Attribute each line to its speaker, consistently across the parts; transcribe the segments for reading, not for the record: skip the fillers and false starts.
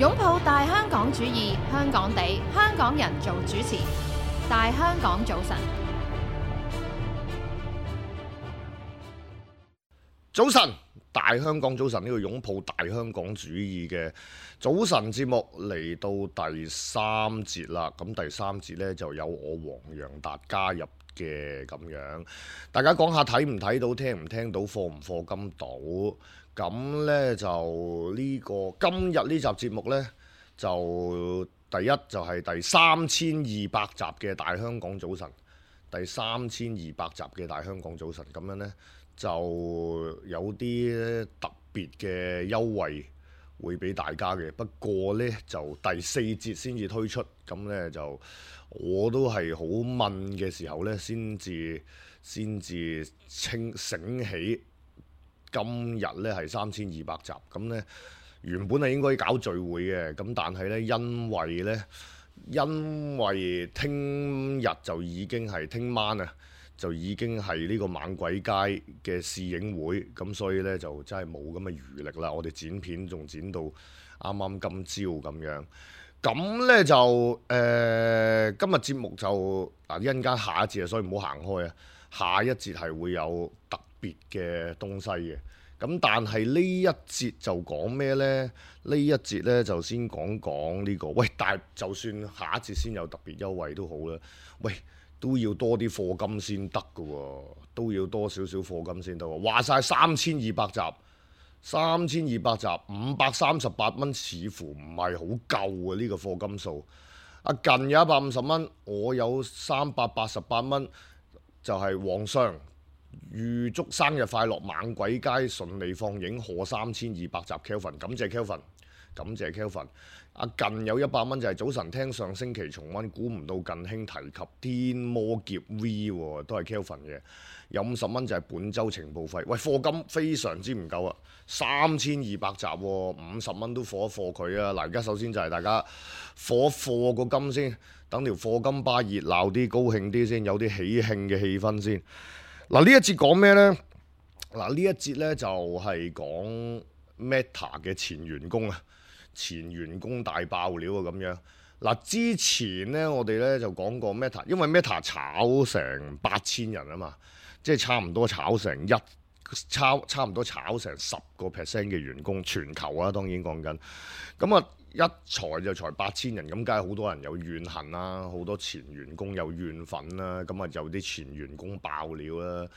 Speaker 1: 擁抱大香港主義，香港地，香港人做主持。大香港早晨，
Speaker 2: 早晨，大香港早晨，呢個擁抱大香港主義嘅早晨節目嚟到第三節啦。咁第三節呢，就有我黃洋達加入嘅咁樣，大家講下睇唔睇到，聽唔聽到，課唔課金到。咁呢，就呢個今日呢集節目呢，就第一就係第3200集嘅大香港早晨，第3200集嘅大香港早晨，咁樣呢，就有啲特別嘅優惠會俾大家嘅。不過呢，就第4節先至推出，咁呢，就我都係好問嘅時候呢，先至醒起。今日呢係3200集，咁呢原本係應該搞聚會嘅，咁但係呢，因為聽日就已經係聽晚啊，就已經係呢個猛鬼街嘅試影會，咁所以呢，就真係冇咁嘅餘力啦。我哋剪片仲剪到啱啱今朝咁樣，咁呢，就今日節目就嗱一陣間下一節啊，所以唔好行開啊，下一節係會有特別嘅東西嘅，咁但係呢一節就講咩呢？呢一節呢，就先講呢個，喂，但係就算下一節先有特別優惠都好啦，喂，都要多啲課金先得㗎喎，都要多少少課金先得喎。話晒3200集，3200集538蚊，似乎唔係好夠啊！呢個課金數，近有150蚊，我有388蚊，就係皇上預祝生日快樂，猛鬼街順利放映，賀3200集 Kelvin， 感謝 Kelvin， 感謝 Kelvin。近有100蚊就係早晨聽上星期重溫，估唔到近兄提及天魔劫 V 喎，都係 Kelvin 嘅。有50蚊就係本週情報費，喂，課金非常之唔夠啊，3200集喎，50蚊都課一課佢啊！嗱，而家首先就係大家課一課個金先，等條課金巴熱鬧啲，高興啲先，有啲喜慶嘅氣氛先。嗱，呢一節講咩呢？嗱，呢一節呢就係講 Meta 嘅前員工啊，前員工大爆料啊咁樣。嗱，之前呢，我哋呢就講過 Meta，因為 Meta 炒成8000人啊嘛，即係差唔多炒成差唔多炒成10% 嘅員工，全球啊當然講緊。咁啊一裁就裁8000人，咁梗係好多人有怨恨啦，好多前員工有怨憤啦，咁啊有啲前員工爆料啦。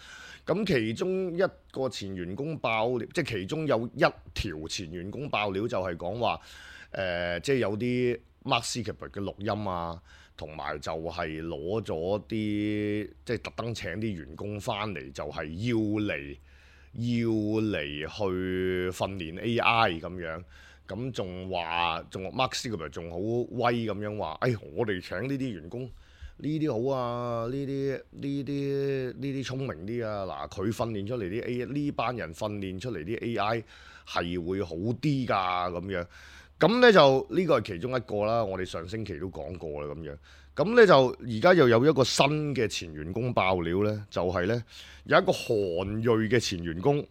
Speaker 2: 咁其中一個前員工爆料，即係其中有一條前員工爆料就係講話，即係有啲 Mark Zuckerberg 嘅錄音啊，同埋就係攞咗啲即係特登請啲員工翻嚟，就係要嚟去訓練 AI 咁樣。咁仲Mark Zuckerberg 仲好威咁樣話，我哋請呢啲員工呢啲好啊，呢啲聰明啲啊，嗱佢訓練出嚟啲 AI， 呢班人訓練出嚟啲 AI 係會好啲㗎咁樣。咁呢就呢個係其中一個啦，我哋上星期都講過啦咁樣。咁呢就而家又有一個新嘅前員工爆料呢，就係呢有一個韓裔嘅前員工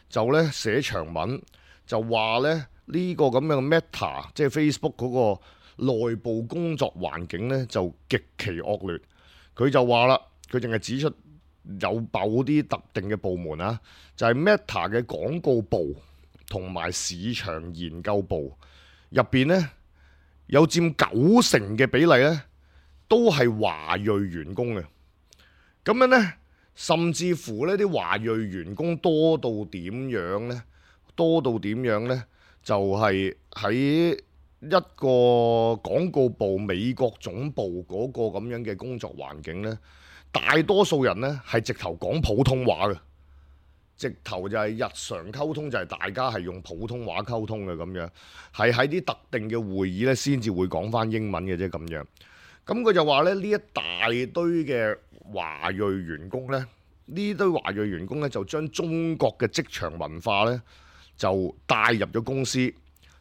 Speaker 2: 就呢寫長文就話呢。呢個咁樣嘅 Meta， 即係 Facebook 嗰個內部工作環境呢，就極其惡劣。佢就話啦，佢淨係指出有某啲特定嘅部門啊，就係 Meta 嘅廣告部同埋市場研究部入邊呢，有佔90%嘅比例呢，都係華裔員工嘅。咁樣呢，甚至乎呢啲華裔員工多到點樣呢？就係喺一個廣告部美國總部嗰個咁樣嘅工作環境呢，大多數人呢係直頭講普通話嘅，直頭就係日常溝通就係大家係用普通話溝通嘅咁樣，係喺啲特定嘅會議呢先至會講返英文嘅啫咁樣。咁佢就話呢，呢一大堆嘅華裔員工呢，呢堆華裔員工呢就將中國嘅職場文化呢，就帶入咗公司，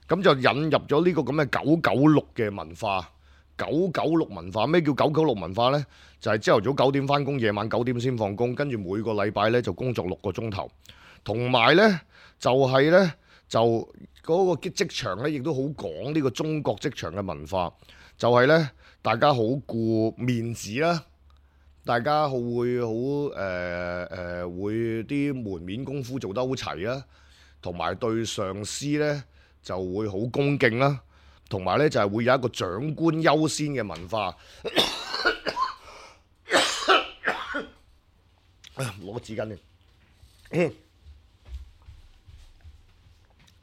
Speaker 2: 咁就引入咗呢個咁嘅996嘅文化。996文化，咩叫996文化呢？就係朝頭早9點返工，夜晚9點先放工，跟住每個禮拜呢就工作6個鐘頭，同埋呢就係呢就嗰個職場咧，亦都好講呢個中國職場嘅文化，就係咧大家好顧面子啦，大家會會啲門面功夫做得好齊啦，同埋對上司咧就會好恭敬啦，同埋咧就係會有一個長官優先嘅文化。攞個紙巾先。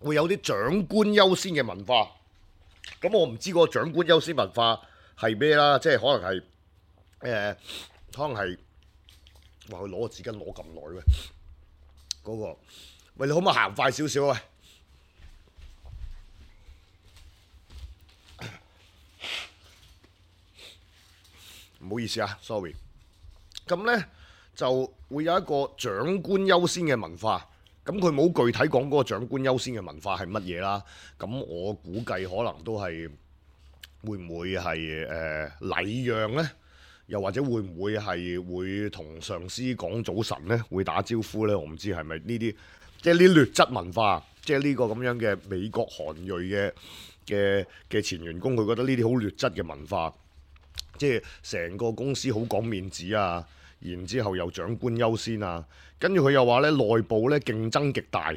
Speaker 2: 會有啲長官優先嘅文化，咁我唔知嗰個長官優先文化係咩啦，即係可能係可能係話佢攞個紙巾攞咁耐嘅嗰個，喂，你可唔可以行快少少啊？唔好意思啊，sorry。咁呢就會有一個長官優先嘅文化。咁佢冇具體講嗰個長官優先嘅文化係乜嘢啦？咁我估計可能都係會唔會係禮讓呢？又或者會唔會係會同上司講早晨呢？會打招呼呢？我唔知係咪呢啲即係呢劣質文化，即係呢個咁樣嘅美國韓裔嘅前員工，佢覺得呢啲好劣質嘅文化，即係成個公司好講面子啊！然之後又長官優先啊，跟住佢又話咧內部咧競爭極大，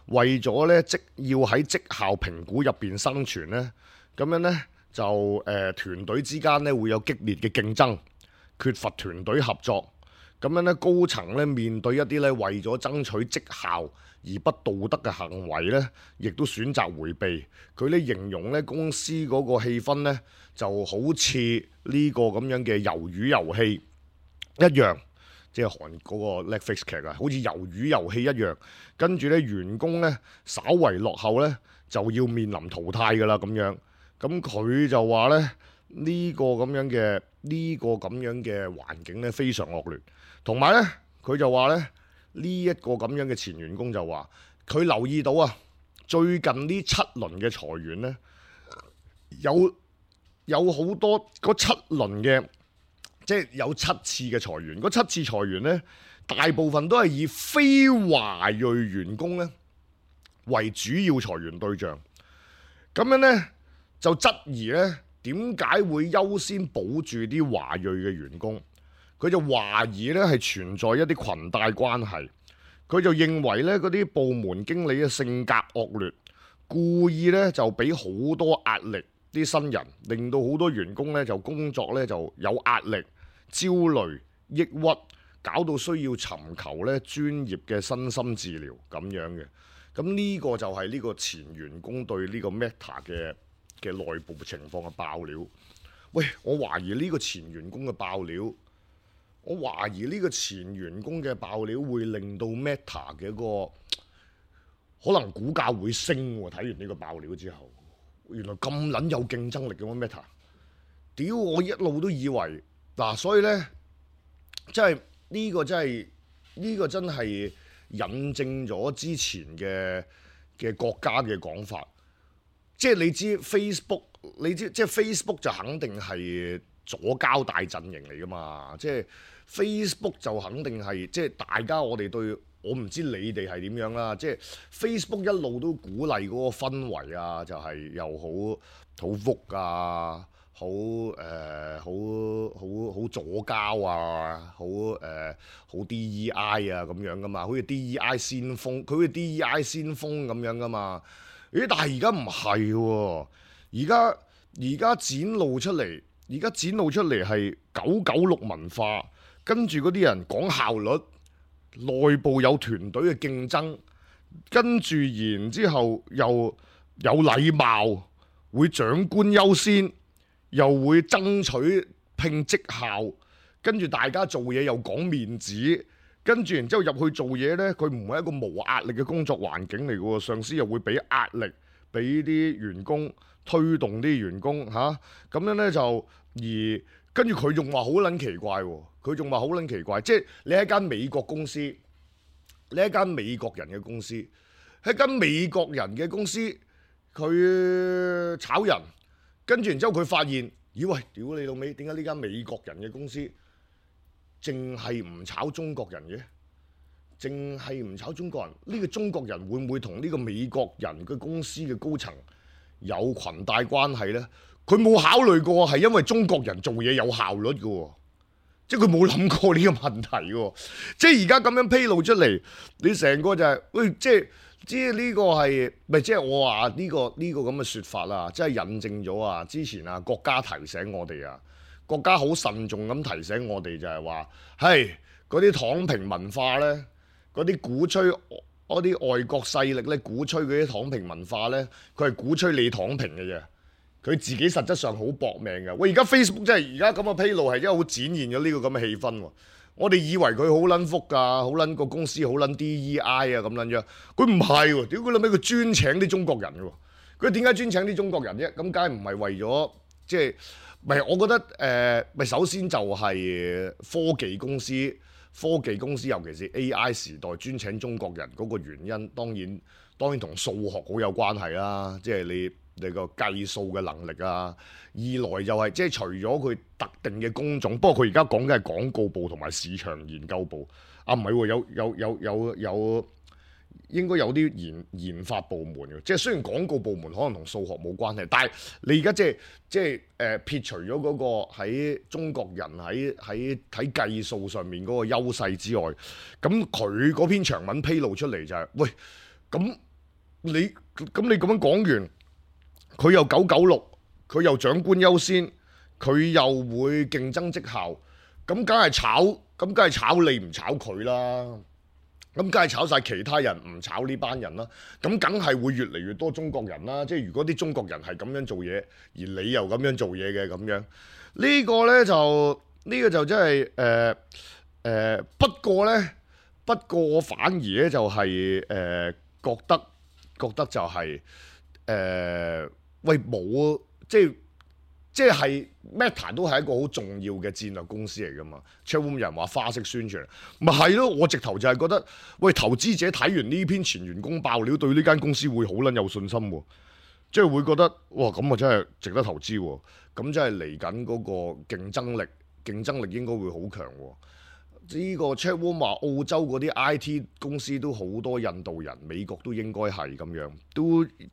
Speaker 2: 為咗咧要喺績效評估入邊生存咧，咁樣咧就團隊之間咧會有激烈嘅競爭，缺乏團隊合作，咁樣咧高層咧面對一啲咧為咗爭取績效而不道德嘅行為咧，亦都選擇迴避。佢咧形容咧公司嗰個氣氛咧就好似呢個咁樣嘅魷魚遊戲一樣，即係韓嗰個 Netflix 劇啊，好似魷魚遊戲一樣。跟住咧，員工咧稍為落後咧，就要面臨淘汰㗎啦咁樣。咁佢就話咧，呢個咁樣嘅環境咧非常惡劣。同埋咧，佢就話咧，呢一個咁樣嘅前員工就話，佢留意到啊，最近呢7輪嘅裁員咧，有好多嗰7輪嘅。即係有7次嘅裁員，嗰7次裁員呢，大部分都係以非華裔員工呢為主要裁員對象。咁樣呢，就質疑呢點解會優先保住啲華裔嘅員工？佢就懷疑呢係存在一啲裙帶關係。佢就認為呢嗰啲部門經理嘅性格惡劣，故意呢就俾好多壓力啲新人，令到好多員工呢就工作呢就有壓力、焦慮、抑鬱，搞到需要尋求咧專業嘅身心治療咁樣嘅。咁呢個就係呢個前員工對呢個 Meta 嘅內部情況嘅爆料。喂，我懷疑呢個前員工嘅爆料，我懷疑呢個前員工嘅爆料會令到 Meta 嘅一個可能股價會升喎。睇完呢個爆料之後，原來咁撚有競爭力嘅咩 Meta？屌，我一路都以為。嗱，所以呢，真係呢個真係引證咗之前嘅國家嘅講法，即係你知 Facebook， 即係 Facebook 就肯定係左膠大陣營嚟噶嘛，即係 Facebook 就肯定係即係大家我哋對，我唔知你哋係點樣啦，即係 Facebook 一路都鼓勵嗰個氛圍啊，就係又好福啊。好左膠啊，好 DEI 啊咁樣噶嘛，好似 DEI 先鋒，佢好似 DEI 先鋒咁樣噶嘛。咦？但係而家唔係喎，而家展露出嚟係996文化，跟住嗰啲人講效率，內部有團隊嘅競爭，跟住然之後又有禮貌，會長官優先。又會爭取拼績效，跟住大家做嘢又講面子，跟住然之後入去做嘢呢，佢唔係一個無壓力嘅工作環境嚟嘅喎，上司又會俾壓力，俾啲員工推動啲員工嚇，咁樣呢，就而跟住佢仲話好撚奇怪喎，佢仲話好撚奇怪，即係你係間美國公司，你係間美國人嘅公司，係間美國人嘅公司，佢炒人。跟住然之後佢發現，咦喂，屌你老味，點解呢間美國人嘅公司淨係唔炒中國人嘅？淨係唔炒中國人，呢個中國人會唔會同呢個美國人嘅公司嘅高層有裙帶關係呢？佢冇考慮過係因為中國人做嘢有效率嘅喎，即係佢冇諗過呢個問題嘅。即係而家咁樣披露出嚟，你成個就係、喂，即係呢個係咪即係我話呢個咁嘅説法啦？即係印證咗啊！之前啊，國家提醒我哋啊，國家好慎重咁提醒我哋就係話，係嗰啲躺平文化呢，嗰啲鼓吹嗰啲外國勢力呢，鼓吹嗰啲躺平文化呢，佢係鼓吹你躺平嘅啫。佢自己實質上好搏命嘅。喂，而家 Facebook 真係而家咁嘅披露係因為好展現咗呢個咁嘅氣氛喎。我哋以為佢好撚福㗎，好撚個公司好撚 DEI 啊咁撚樣，佢唔係喎。屌佢諗起佢專請啲中國人嘅喎。佢點解專請啲中國人啫？咁梗係唔係為咗即係？咪我覺得咪首先就係科技公司尤其是 AI 時代專請中國人嗰個原因，當然同數學好有關係啦。即係你個計數嘅能力啊。二來就係即係除咗佢特定嘅工種，不過佢而家講嘅係廣告部同埋市場研究部。啊，唔係喎，有應該有啲研發部門嘅。即係雖然廣告部門可能同數學冇關係，但係你而家即係撇除咗嗰個喺中國人喺計數上面嗰個優勢之外，咁佢嗰篇長文披露出嚟就係、喂，咁你咁樣講完，佢又996，佢又長官優先，佢又會競爭績效，咁梗係炒你唔炒佢啦。咁梗係炒晒其他人，唔炒呢班人啦。咁梗係會越嚟越多中國人啦。即係如果啲中國人係咁樣做嘢，而你又咁樣做嘢嘅咁樣，呢個就真係不過我反而咧就係覺得就係喂冇即係 Meta 都係一個好重要嘅戰略公司嚟㗎嘛。Chatroom 有人話花式宣傳，咪係咯。我直頭就係覺得，喂，投資者睇完呢篇前員工爆料，對呢間公司會好撚有信心喎。即係會覺得，哇，咁啊真係值得投資喎。咁真係嚟緊嗰個競爭力應該會好強喎。呢個 Chatroom 話澳洲嗰啲 IT 公司都好多印度人，美國都應該係咁樣，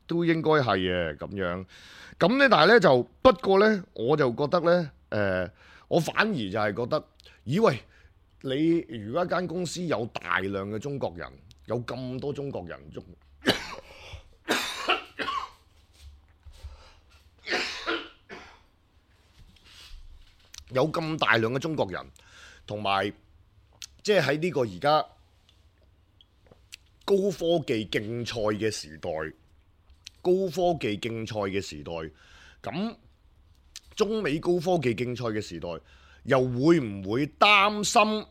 Speaker 2: 都應該係嘅咁樣。咁咧，但係咧就不過咧，我就覺得咧，我反而就係覺得，咦喂，你如果一間公司有大量嘅中國人，有咁多中國人，有咁大量嘅中國人，同埋即係喺呢個而家高科技競賽嘅時代。咁中美高科技競賽嘅時代，又會唔會擔心？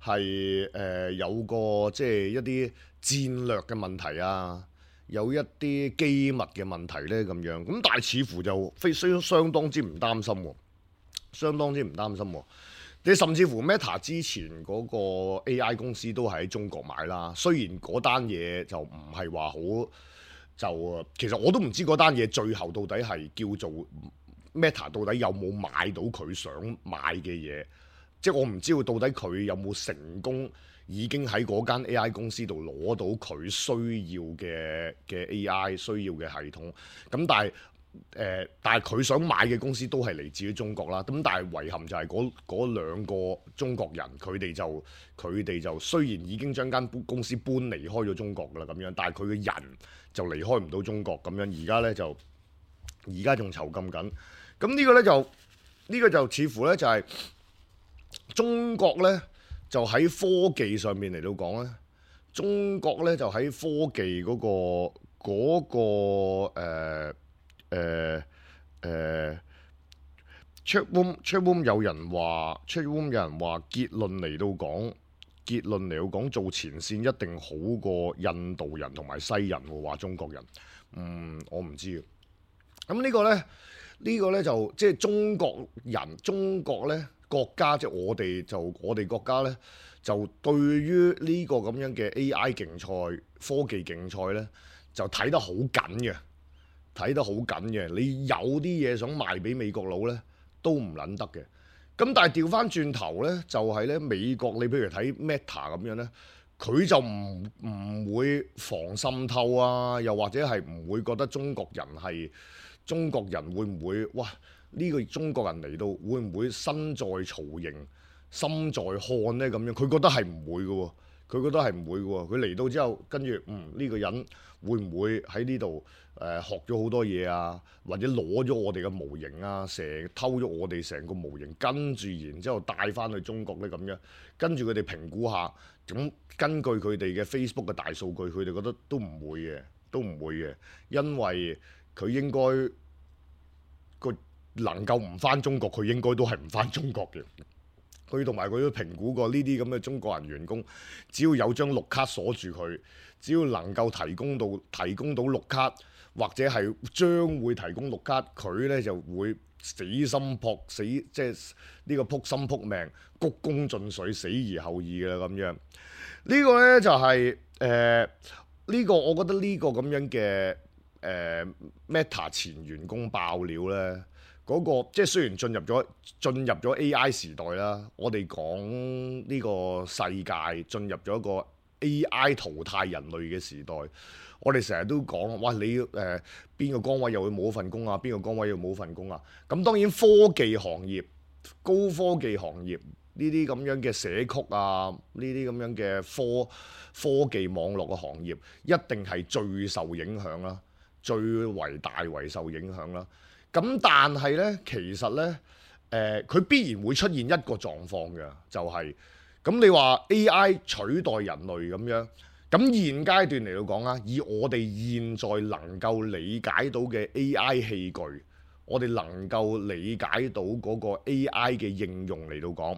Speaker 2: 係有個即係一啲戰略嘅問題啊，有一啲機密嘅問題呢咁樣。咁但係似乎就相當之唔擔心喎，你甚至乎 Meta 之前嗰個 AI 公司都係喺中國買啦，雖然嗰單嘢就唔係話好，其實我都唔知嗰單嘢最後到底係叫做 Meta 到底有冇買到佢想買嘅嘢，即係我唔知道到底佢有冇成功已經喺嗰間 AI 公司度攞到佢需要嘅 AI 需要嘅系統，咁但係佢想買嘅公司都係嚟自於中國啦。咁但係遺憾就係嗰兩個中國人，佢哋就雖然已經將間公司搬離開咗中國啦咁樣，但係佢嘅人就離開唔到中國咁樣。而家仲囚禁緊。咁呢個就似乎咧就係中國咧就喺科技上面嚟到講咧，中國咧就喺科技嗰個Chatroom 有人話結論嚟到講做前線一定好過印度人同埋西人喎，話中國人，我唔知。咁呢個呢就即係中國咧國家，即係我哋國家咧就對於呢個咁樣嘅 AI 競賽、科技競賽咧就睇得好緊嘅，你有啲嘢想賣俾美國佬咧都唔撚得嘅。咁但係調翻轉頭呢，就係呢美國，你譬如睇 Meta 咁樣呢，佢就唔會防滲透啊，又或者係唔會覺得中國人會唔會哇？呢個中國人嚟到會唔會身在曹營心在漢呢？咁樣佢覺得係唔會嘅喎，佢覺得係唔會嘅喎。佢嚟到之後，跟住呢個人會唔會喺呢度學咗好多嘢啊？或者攞咗我哋嘅模型啊，偷咗我哋成個模型，跟住然之後帶翻去中國呢？咁樣，跟住佢哋評估下，咁根據佢哋嘅 Facebook 嘅大數據，佢哋覺得都唔會嘅，都唔會嘅，因為佢應該能夠唔翻中國，佢應該都係唔翻中國嘅。佢同埋佢都評估過呢啲咁嘅中國人員工，只要有張綠卡鎖住佢，只要能夠提供到綠卡，或者係將會提供綠卡，佢呢就會死心撲死，即係呢個撲心撲命、鞠躬盡瘁、死而後已嘅啦咁樣。呢個呢就係呢個，我覺得呢個咁樣嘅Meta 前員工爆料呢。嗰個即係雖然進入咗 AI 時代啦，我哋講呢個世界進入咗一個 AI 淘汰人類嘅時代，我哋成日都講，哇！你邊個崗位又會冇份工啊？邊個崗位又冇份工啊？咁當然科技行業、高科技行業呢啲咁樣嘅社區啊，呢啲咁樣嘅科技網絡嘅行業，一定係最受影響啦，最為大為受影響啦。咁但係呢，其實呢，佢必然會出現一個狀況嘅，就係咁你話 AI 取代人類咁樣，咁現階段嚟到講啊，以我哋現在能夠理解到嘅 AI 器具，我哋能夠理解到嗰個 AI 嘅應用嚟到講，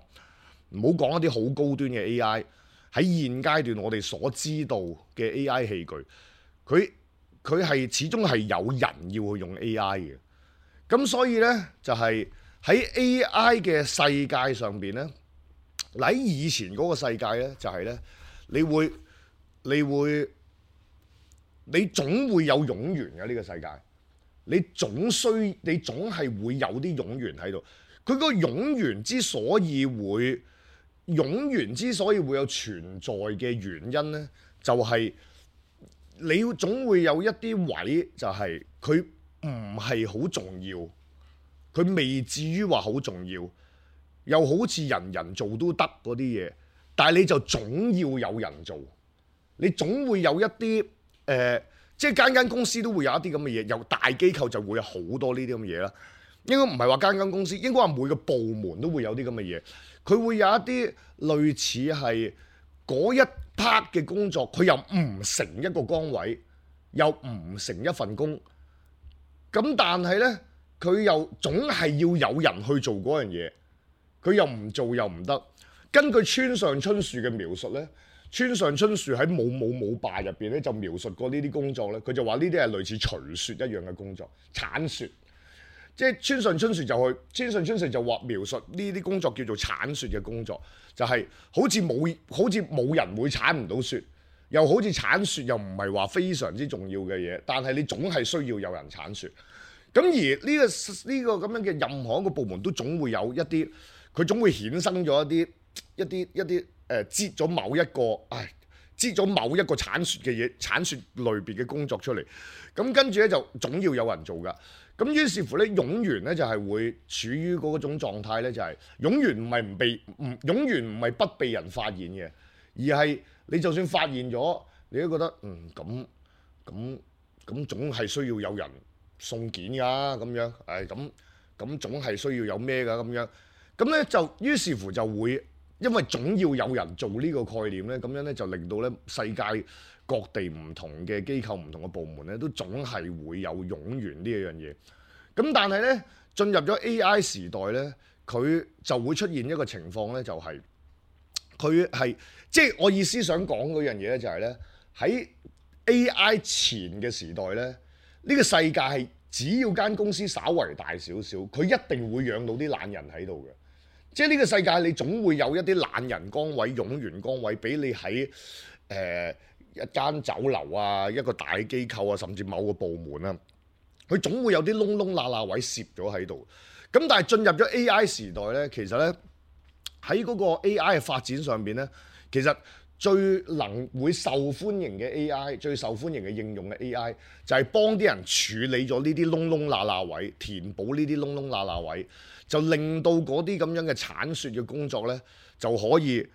Speaker 2: 唔好講一啲好高端嘅 AI，喺現階段我哋所知道嘅 AI 器具，佢係始終係有人要去用 AI 嘅。咁所以呢，就係喺 AI 嘅世界上邊呢，喺以前嗰個世界呢，就係呢，你總會有冗員嘅呢個世界，你總係會有啲冗員喺度。佢個冗員之所以會有存在嘅原因呢，就係你總會有一啲位就係佢唔係好重要，佢未至於話好重要，又好似人人做都得嗰啲嘢，但係你就總要有人做，你總會有一啲即係間公司都會有一啲咁嘅嘢，由大機構就會有好多呢啲咁嘅嘢啦。應該唔係話間公司，應該話每個部門都會有啲咁嘅嘢，佢會有一啲類似係嗰一 part 嘅工作，佢又唔成一個崗位，又唔成一份工。咁但係呢，佢又總係要有人去做嗰樣嘢，佢又唔做又唔得。根據村上春樹嘅描述呢，村上春樹喺《冇霸》入邊咧就描述過呢啲工作呢，佢就話呢啲係類似除雪一樣嘅工作，鏟雪。即係村上春樹就話描述呢啲工作叫做鏟雪嘅工作，就係好似冇人會鏟唔到雪。又好似鏟雪又唔係話非常之重要嘅嘢，但係你總係需要有人鏟雪。咁而呢個咁樣嘅任何一個部門都總會有一啲，佢總會衍生咗一啲擠咗某一個鏟雪嘅嘢、鏟雪類別嘅工作出嚟。咁跟住咧就總要有人做㗎。咁於是乎咧，冗員咧就係會處於嗰種狀態咧，就係冗員冗員唔係不被人發現嘅，而係你就算發現咗，你都覺得咁總係需要有人送件㗎咁樣，咁總係需要有咩㗎咁樣，咁咧就於是乎就會因為總要有人做呢個概念咧，咁樣咧就令到咧世界各地唔同嘅機構、唔同嘅部門咧，都總係會有冗員呢一樣嘢。咁但係咧進入咗 AI 時代咧，佢就會出現一個情況咧，就係佢係即係我意思想講嗰樣嘢咧，就係咧喺 AI 前嘅時代咧，呢個世界係只要間公司稍為大少少，佢一定會養到啲懶人喺度嘅。即係呢個世界，你總會有一啲懶人崗位、冗員崗位，俾你喺一間酒樓啊、一個大機構啊，甚至某個部門啊，佢總會有啲窿窿罅罅位攝咗喺度。咁但係進入咗 AI 時代呢，其實呢，喺嗰個 AI 嘅發展上邊呢，其實最會受歡迎嘅 AI， 最受歡迎嘅應用嘅 AI 就係幫啲人處理咗呢啲窿窿罅罅位，填補呢啲窿窿罅罅位，就令到嗰啲咁樣嘅剷雪嘅工作呢，就可以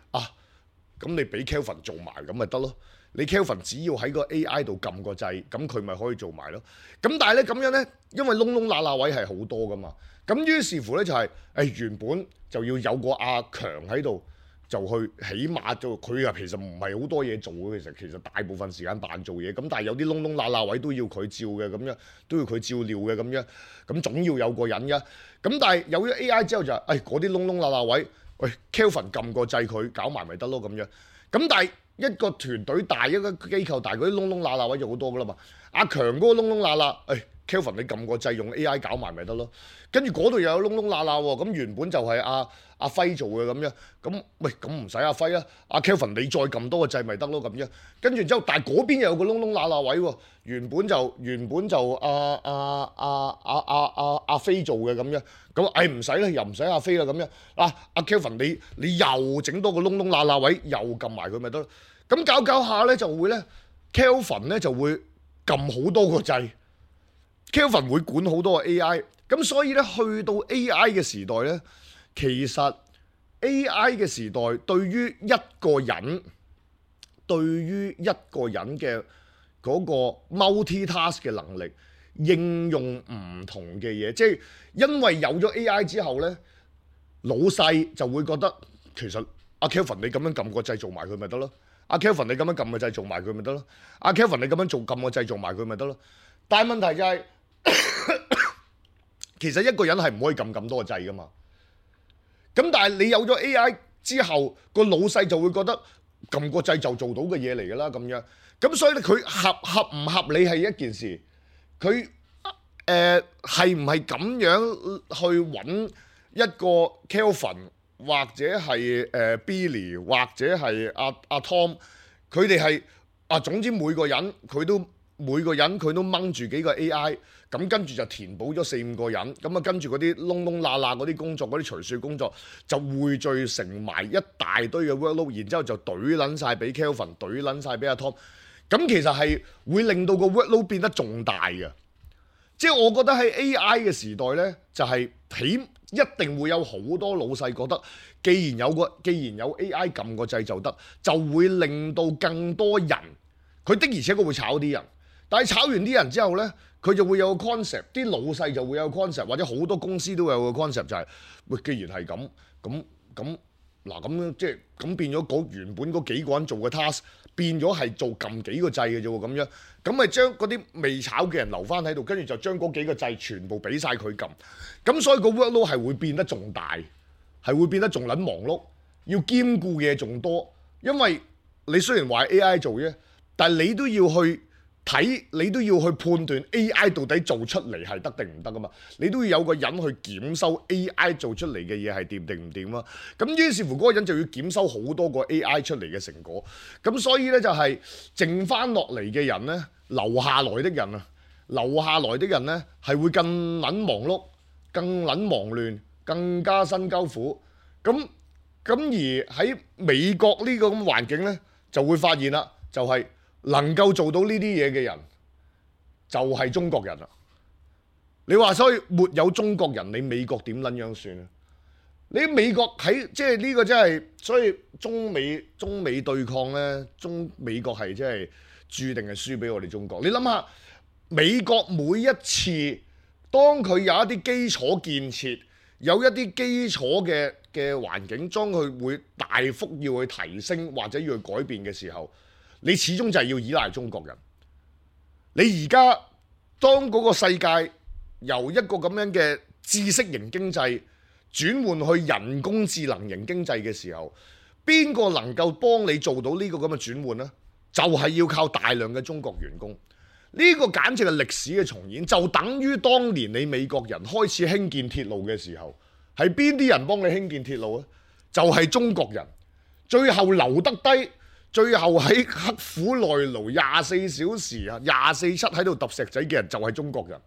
Speaker 2: 咁你俾 Kelvin 做埋咁咪得咯。你 Kelvin 只要喺個 AI 度撳個掣，咁佢咪可以做埋咯。咁但係咧咁樣咧，因為窿窿罅罅位係好多噶嘛，咁於是乎咧就係原本就要有個阿強喺度，就去起碼做佢其實唔係好多嘢做嘅，其實大部分時間扮做嘢。咁但係有啲窿窿罅罅位都要佢照嘅，咁樣都要佢照料嘅咁樣，咁總要有個人嘅。咁但係有咗 AI 之後就係嗰啲窿窿罅罅位，Kelvin 撳個掣佢搞埋咪得咯咁樣。咁但係一個團隊大，一個機構大，嗰啲窿窿罅罅位就好多噶啦嘛。阿強嗰個窿窿罅罅，Kelvin 你撳個掣用 AI 搞埋咪得咯。跟住嗰度又有窿窿罅罅喎，咁原本就係阿輝做嘅咁樣，咁唔使阿輝啦，阿 Kelvin 你再撳多個掣咪得咯咁樣。跟住之後，但係嗰邊又有個窿窿罅罅位喎，原本就阿飛做嘅咁樣，咁唔使啦，又唔使阿飛啦咁樣。阿 Kelvin 你又整多個窿窿罅罅位，又撳埋佢咪得咯。咁搞下咧就會咧 Kelvin 咧就會撳好多個掣 ，Kelvin 會管好多個 AI。咁所以咧去到 AI 嘅時代咧，其實 AI 嘅時代對於一個人嘅嗰個 multitask 嘅能力，應用唔同嘅嘢，即係因為有咗 AI 之後咧，老細就會覺得其實阿 Kelvin 你咁樣撳個掣做埋佢咪得咯，阿 Kelvin 你咁樣撳個掣做埋佢咪得咯，阿 Kelvin 你咁樣撳個掣做埋佢咪得咯。但係問題就係其實一個人係唔可以撳咁多個掣噶嘛。咁但係你有咗 AI 之後，個老細就會覺得撳個掣就做到嘅嘢嚟㗎啦咁樣。咁所以咧佢合唔合理係一件事，佢係唔係咁樣去揾一個 Kelvin 或者係Billy 或者係阿 Tom， 佢哋係總之每個人佢都掹住幾個 AI。咁跟住就填補咗4-5個人，咁跟住嗰啲窿窿罅罅嗰啲工作，嗰啲除雪工作就匯聚成埋一大堆嘅 workload， 然之後就懟撚晒俾 Kelvin， 懟撚晒俾阿 Tom。咁其實係會令到個 workload 變得仲大嘅。即係我覺得喺 AI 嘅時代呢，就係一定會有好多老細覺得，既然有 AI 撳個掣就得，就會令到更多人，佢的而且確會炒啲人，但係炒完啲人之後呢，佢就會有個 concept， 啲老細就會有個 concept， 或者好多公司都有個 concept， 就係既然係咁即係咁變咗原本嗰幾個人做嘅 task， 變咗係做撳幾個掣嘅啫喎，咁樣咁咪將嗰啲未炒嘅人留翻喺度，跟住就將嗰幾個掣全部俾晒佢撳，咁所以個 workload 係會變得仲大，係會變得仲撚忙碌，要兼顧嘅嘢仲多，因為你雖然話 AI 做啫，但係你都要去睇，你都要去判斷 AI 到底做出嚟係得定唔得噶嘛？你都要有個人去檢收 AI 做出嚟嘅嘢係掂定唔掂啊？咁於是乎嗰個人就要檢收好多個 AI 出嚟嘅成果。咁所以呢，就係剩翻落嚟嘅人呢，留下來的人呢，係會更撚忙碌、更撚忙亂、更加辛鳩苦。咁而喺美國呢個咁環境呢，就會發現啦，就係能夠做到呢啲嘢嘅人就係中國人啦。你話所以沒有中國人，你美國點撚樣算啊？你美國喺即係呢個真係，所以中美對抗呢，美國係真係注定係輸俾我哋中國。你諗下，美國每一次當佢有一啲基礎建設，有一啲基礎嘅環境，當佢會大幅要去提升或者要去改變嘅時候，你始終就係要依賴中國人。你而家當嗰個世界由一個咁樣嘅知識型經濟轉換去人工智能型經濟嘅時候，邊個能夠幫你做到呢個咁嘅轉換呢？就係要靠大量嘅中國員工。呢個簡直係歷史嘅重演，就等於當年你美國人開始興建鐵路嘅時候，係邊啲人幫你興建鐵路呢？就係中國人。最後留得低，最後喺刻苦耐勞24小時24/7喺度揼石仔嘅人就係中國人。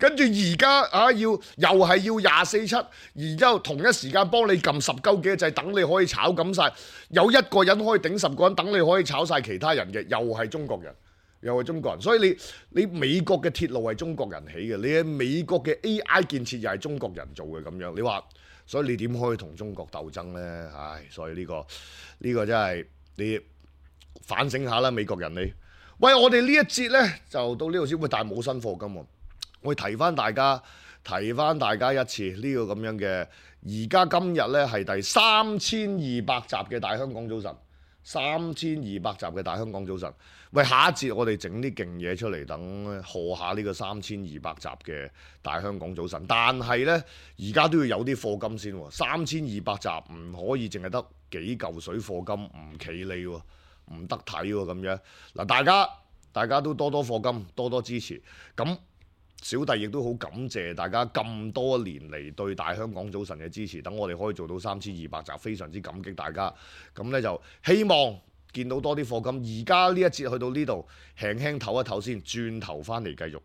Speaker 2: 跟住而家又係要24/7，然之後同一時間幫你撳10鳩幾個掣，等你可以炒咁晒。有一個人可以頂10個人，等你可以炒晒其他人嘅，又係中國人，又係中國人。所以你美國嘅鐵路係中國人起嘅，你喺美國嘅 AI 建設又係中國人做嘅咁樣。你話，所以你點可以同中國鬥爭呢？唉，所以呢個真係你反省下啦，美國人你。喂，我哋呢一節呢，就到呢度先，會但係冇新課金喎。我提翻大家一次呢個咁樣嘅，而家今日呢係第3200集嘅大香港早晨，3200集嘅大香港早晨。喂，下一節我哋整啲勁嘢出嚟，等賀下呢個3200集嘅大香港早晨。但係呢，而家都要有啲課金先喎，3200集唔可以淨係得幾嚿水課金，唔企理喎，唔得睇喎咁樣。嗱，大家都多多課金，多多支持。咁小弟亦都好感謝大家咁多年嚟對大香港早晨嘅支持，等我哋可以做到3200集，非常之感激大家。咁呢，就希望見到多啲課金。而家呢一節去到呢度，輕輕唞一唞先，轉頭翻嚟繼續。